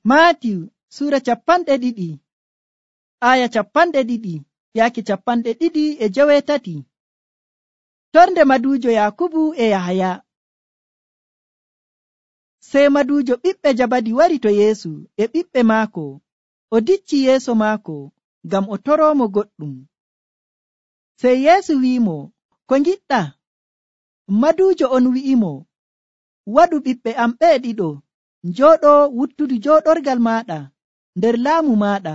Maatiyu sura 2 aya 2 yaaki 2:18. Torde maduujo Yakubu e Yahaya. Sey maduujo ɓiɓɓe Jabadi wari to Yeesu e ɓiɓɓe maako, o dicci yeeso maako ngam o toroomo goɗɗum. Sey Yeesu wi'imo, ko ngiɗɗa? Maduujo on wi'imo, waɗu ɓiɓɓe am ɓe ɗiɗo njooɗo wuttudu jooɗorgal maaɗa nder laamu maaɗa,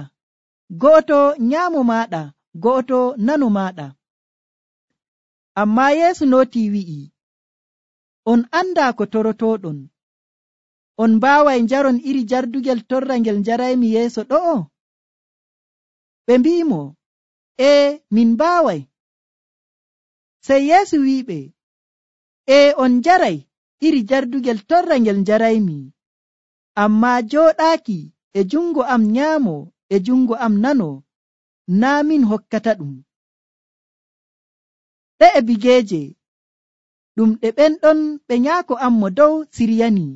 go'oto nyaamo maaɗa, go'oto nano maaɗa. Ammaa Yeesu nootii wi'i, on andaa ko torotooɗon. On mbaaway njaron iri jardugel torra ngel njaraymi yeeso ɗo'o? Ɓe mbi'imo, min mbaaway. Sey Yeesu wi'iɓe, on njaray iri jardugel torra ngel njaraymi, ammaa jooɗaaki e jungo am nyaamo e jungo am nano, naa min hokkata ɗum. Ɗe'e bigeeje ɗum ɗe ɓenɗon ɓe nyaako am mo dow siryani.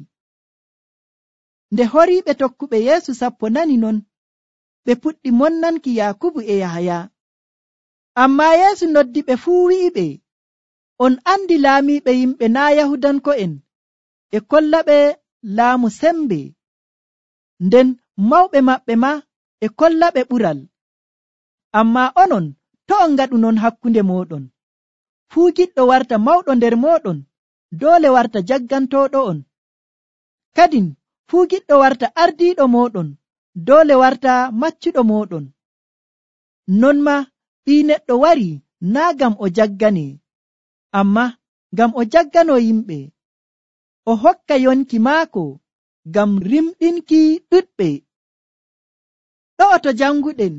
Nde horiiɓe tokkuɓe Yeesu 10 nani non, ɓe puɗɗi monnanki Yakubu e Yahaya. Ammaa Yeesu noddiɓe fuu wi'iɓe, on andi laamiiɓe yimɓe naa Yahudanko'en e kollaɓe laamu sembe, nden mawɓe maɓɓe ma e kollaɓe ɓural. Ammaa onon to' on ngaɗu non hakkunde mooɗon. Fuu giɗɗo warta mawɗo nder mooɗon doole warta jaggantooɗo on. Kadin fuu giɗɗo warta ardiiɗo mooɗon doole warta maccuɗo mooɗon. Non ma Ɓii Neɗɗo wari naa ngam o jaggane, ammaa ngam o jaggano yimɓe, o hokka yonki maako ngam rimɗinki ɗuɗɓe. Ɗo'o to janguɗen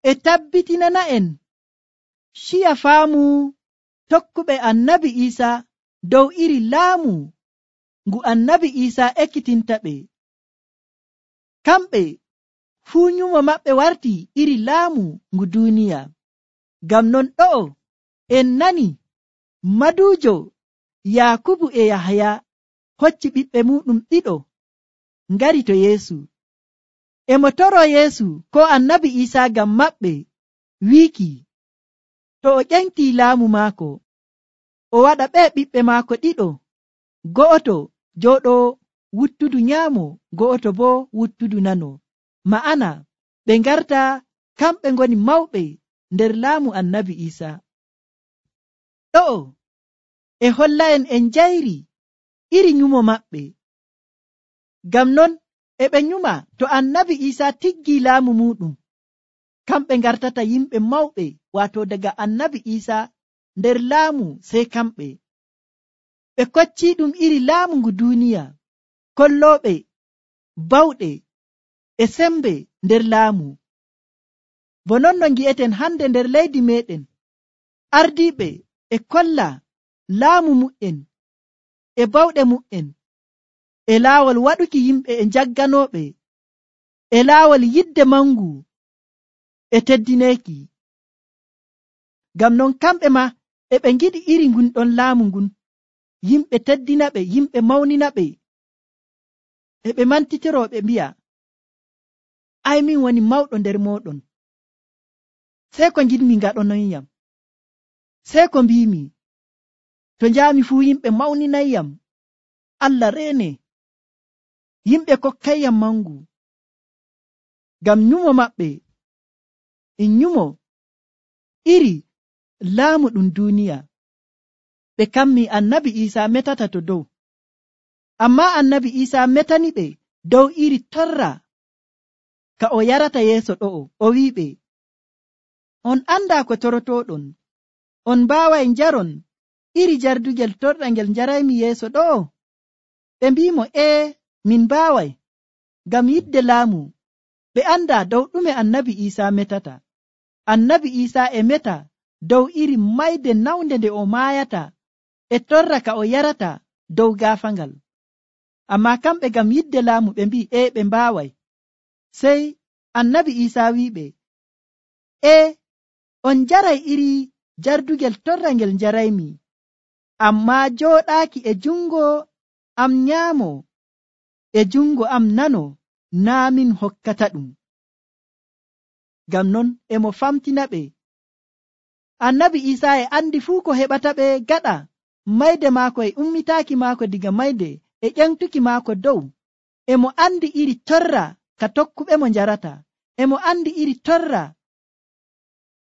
e tabbitinana'en ciya faamu tokkuɓe Annabi Iisaa dow iri laamu ngu Annabi Iisaa ekkitinta ɓe. Kamɓe fuu nyumo maɓɓe warti iri laamu ngu duuniya. Ngam non ɗo'o en nani maduujo Yakubu e Yahaya hocci ɓiɓɓe muɗum ɗiɗo ngari to Yeesu. E mo toroo Yeesu ko Annabi Iisaa ngam maɓɓe, wiiki to o ƴentii laamu maako, o waɗa ɓe ɓiɓɓe maako ɗiɗo, go'oto jooɗo wuttudu nyaamo, go'oto boo wuttudu nano. Ma'ana ɓe ngarta kamɓe ngoni mawɓe nder laamu Annabi Iisaa. Ɗo'o e holla'en en njayri iri nyumo maɓɓe. Ngam non e ɓe nyuma to Annabi Iisaa tiggii laamu muɗum, kamɓe ngartata yimɓe mawɓe, waato daga Annabi Iisaa nder laamu sey kamɓe. Ɓe koccii ɗum iri laamu ngu duuniya, kollooɓe bawɗe e sembe nder laamu. Bo non no ngi'eten hande nder leydi meɗen, ardiiɓe e kolla laamu mu'en e bawɗe mu'en e laawol waɗuki yimɓe e jagganooɓe, e laawol yidde mangu e teddineeki. Ngam non kamɓe ma e ɓe ngiɗi iri ngun ɗon laamu ngun, yimɓe teddina ɓe, yimɓe mawnina ɓe, e ɓe mantitiro ɓe mbi'a, ai min woni mawɗo nder mooɗon, sey ko ngiɗmi ngaɗonoyyam, sey ko mbimi, to njaami fuu yimɓe mawninayyam, Allah reene, yimɓe kokkayyam mangu. Ngam nyumo maɓɓe in nyumo iri laamu ɗum duuniya. Ɓe kammi Annabi Iisaa metata to dow, ammaa Annabi Iisaa metani ɓe dow iri torra ka o yarata yeeso ɗo'o. O wi'iɓe, on andaa ko torotooɗon, on mbaaway njaron iri jardugel torra ngel njaraymi yeeso ɗo'o? Ɓe mbi'imo, min mbaaway, ngam yidde laamu ɓe andaa dow ɗume Annabi Iisaa metata. Annabi Iisaa e meta dow iri mayde nawnde nde o maayata e torra ka o yarata dow gaafangal. Ammaa kamɓe ngam yidde laamu ɓe mbi'i ɓe mbaaway. Sey Annabi Iisaa wi'iɓe, on njaray iri jardugel torra ngel njaraymi, ammaa jooɗaaki e jungo am nyaamo e jungo am nano naa min hokkata ɗum. Ngam non emo famtina ɓe. Annabi Isaa e andi fuu ko heɓata ɓe gaɗa mayde maako e ummitaaki maako diga mayde e ƴentuki maako dow. Emo andi iri torra ka tokkuɓemo njarata. Emo andi iri torra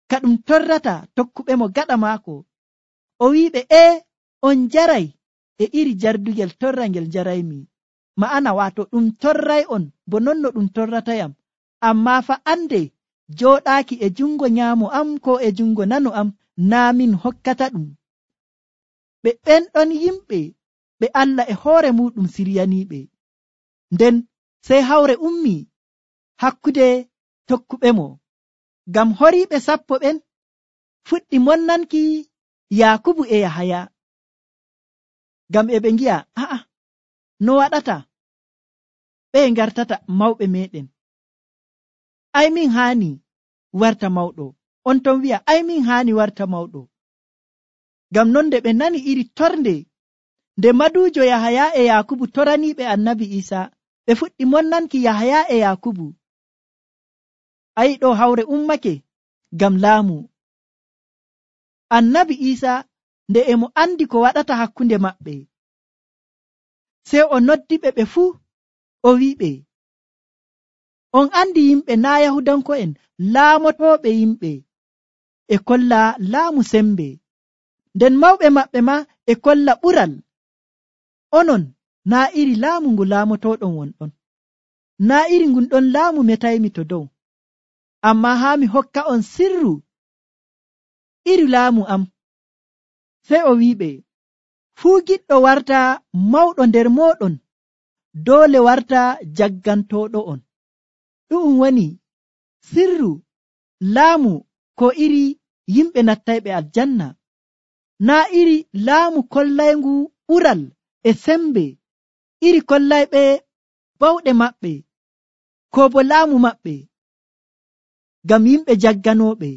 ka ɗum torrata tokkuɓemo gaɗa maako. O wiɓe on njaray e iri jardugel torra ngel njaraymi. Ma'ana wato ɗum torray on bo non no ɗum torratayam. Amma fa ande jooɗaaki e jungo nyaamo am ko e jungo nano am naa min hokkata ɗum. Ɓe ɓenɗon yimɓe ɓe Allah e hoore muɗum siryaniiɓe. Nden sey hawre ummi hakkude tokkuɓemo. Ngam horiiɓe 10 ɓen fuɗɗi monnanki Yaakubu e Yahaya. Ngam e ɓe ngi'a no waɗata ɓe ngartata mawɓe meɗen. Ai min haani warta mawɗo. On ton wi'a ai min haani warta mawɗo. Ngam non nde ɓe nani iri tornde nde maduujo Yahaya e Yaakubu toraniiɓe Annabi Isaa, ɓe fuɗɗi monnanki Yahaya e Yaakubu. Ayi ɗo hawre ummake ngam laamu. Annabi Isaa nde emo andi ko waɗata hakkunde maɓɓe, sey o noddiɓe ɓe fuu o wiɓe, on andi yimɓe naa Yahudanko'en laamotooɓe yimɓe e kolla laamu sembe, nden mawɓe maɓɓe ma e kolla ɓural. Onon naa iri laamu ngu laamotoɗon wonɗon, naa iri ngun ɗon laamu metaymi to dow. Amma haa mi hokka on sirru iri laamu am. Sey o wiɓe, fuu giɗɗo warta mawɗo nder mooɗon doole warta jaggantoɗo on. Ɗu'um woni sirru laamu ko iri yimɓe nattayɓe aljanna, naa iri laamu kollayngu ɓural e sembe, iri kollayɓe bawɗe maɓɓe ko bo laamu maɓɓe ngam yimɓe jagganoɓe.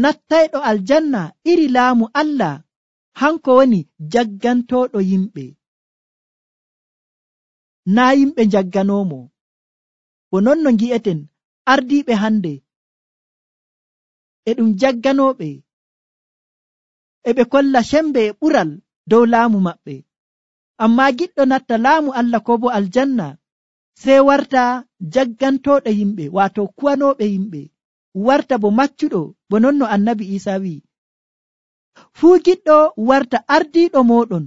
Nattayɗo aljanna iri laamu Allah hanko woni jaggantoɗo yimɓe, naa yimɓe jagganomo. Bo non no ngi'eten ardiiɓe hande e ɗum jagganoɓe, e ɓe kolla sembe e ɓural dow laamu maɓɓe. Amma giɗɗo natta laamu Allah ko bo aljanna sey warta jaggantoɗo yimɓe, wato kuwanoɓe yimɓe, warta bo maccuɗo, bo non no Annabi Isaa wi, fuu giɗɗo warta ardiiɗo moɗon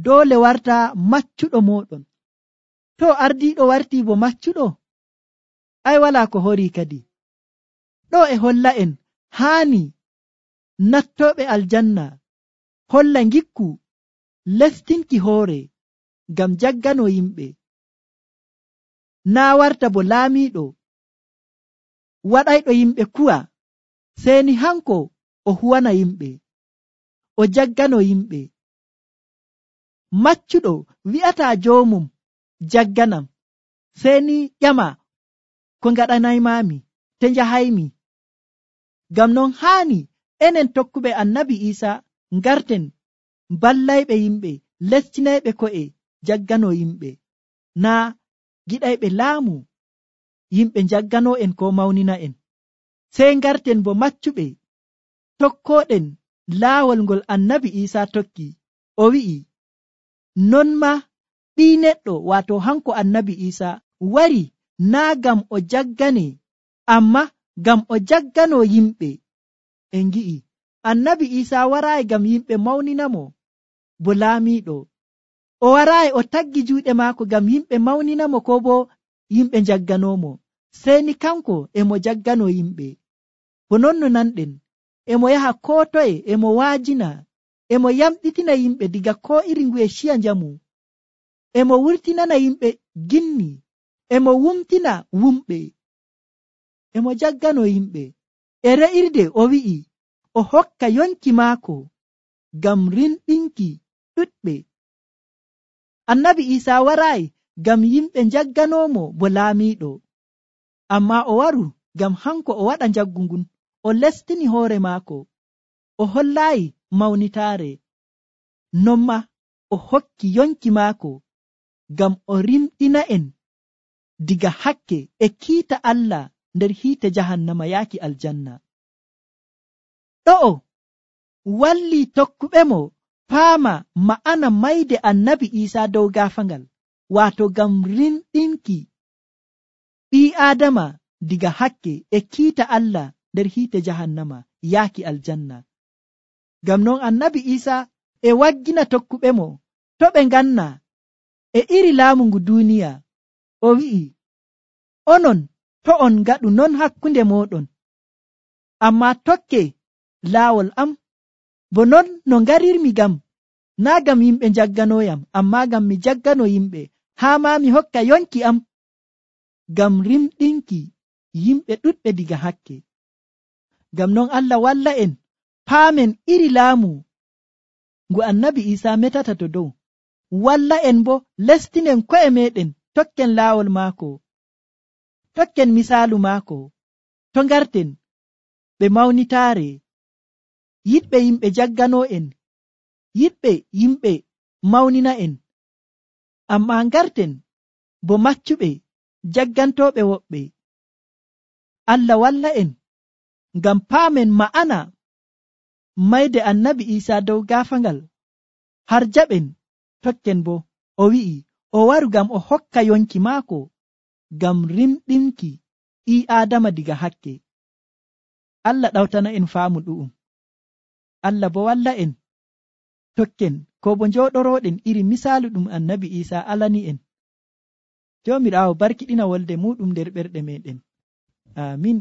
doole warta maccuɗo moɗon. To ardiiɗo warti bo maccuɗo, ai wala ko hori kadi. Ɗo e holla en haani nattoɓe aljanna holla ngikku lestinki hoore ngam jaggano yimɓe, naa warta bo laamiiɗo waɗayɗo yimɓe kuwa, seni hanko o huwana yimɓe, o jaggano yimɓe. Maccuɗo wi'ata joomum jagganam, seni ƴama ko ngaɗanaymami te njahaymi. Ngam non haani enen tokkuɓe Annabi Isaa ngarten ballayɓe yimɓe, lestinayɓe ko'e jaggano yimɓe, naa giɗayɓe laamu yimɓe jaggano en ko mawnina en. Sey ngarten bo maccuɓe tokkoɗen laawol ngol Annabi Isaa tokki. O wi'i, non ma ɓii neɗɗo, wato hanko Annabi Isaa wari naa gam o jaggane, amma gam o jaggano yimɓe. En ngi'i Annabi Isaa waraayi gam yimɓe mawninamo bo laamiiɗo, o waraayi o taggi juuɗe maako gam yimɓe mawninamo ko bo yimɓe jagganomo, seni kanko emo jaggano yimɓe. Bo non no nanɗen emo yaha ko toye, emo waajina, emo yamɗitina yimɓe diga ko iri nguye ciya njamu, emo wurtinana yimɓe ginni, emo wumtina wumɓe, emo jaggano yimɓe. E re'irde o wi'i o hokka yonki maako ngam rinɗinki ɗuɗɓe. Annabi Isaa waraayi ngam yimɓe jagganomo bo laamiiɗo, amma o waru ngam hanko o waɗa jaggu ngun, o lestini hoore maako, o hollaayi mawnitaare, non ma o hokki yonki maako ngam o rimɗina en diga hakke e kiita Allah nder hiite jahannama yaaki aljanna. Ɗo'o walli tokkuɓe mo paama ma'ana mayde annabi Iisaa dow gaafangal, waato ngam rimɗinki ɓii Aadama diga hakke e kiita Allah nder hiite jahannama yaaki aljanna. Ngam non annabi Iisaa e waggina tokkuɓe mo to ɓe nganna e iri laamu ngu duuniya. O wi'i, onon to on ngaɗu non hakkunde mooɗon, ammaa tokke laawol am, bo non no ngarirmi ngam, naa ngam yimɓe jagganoyam, ammaa ngam mi jaggano yimɓe, haa maa mi hokka yonki am, ngam rimɗinki yimɓe ɗuɗɓe diga hakke. Ngam non Allah walla en paamen iri laamu ngu annabi Iisaa metata to dow, walla en bo lestinen ko'e meɗen tokken laawol maako, tokken misaalu maako, to ngarten ɓe mawnitaare, yiɗɓe yimɓe jaggano en, yiɗɓe yimɓe mawnina en, ammaa ngarten bo maccuɓe jaggantooɓe woɓɓe. Allah walla en ngam paamen ma'ana mayde annabi Iisaa dow gaafangal, har jaɓen tokken bo o wi'i o waru ngam o hokka yonki maako ngam rimɗinki ɓii Aadama diga hakke. Allah ɗawtana en faamu ɗu'um. Allah bo walla en tokken ko bo njooɗoroɗen iri misaalu ɗum annabi Iisaa alani en. Joomiraawo barkiɗina wolde muɗum nder ɓerɗe meɗen. Amin.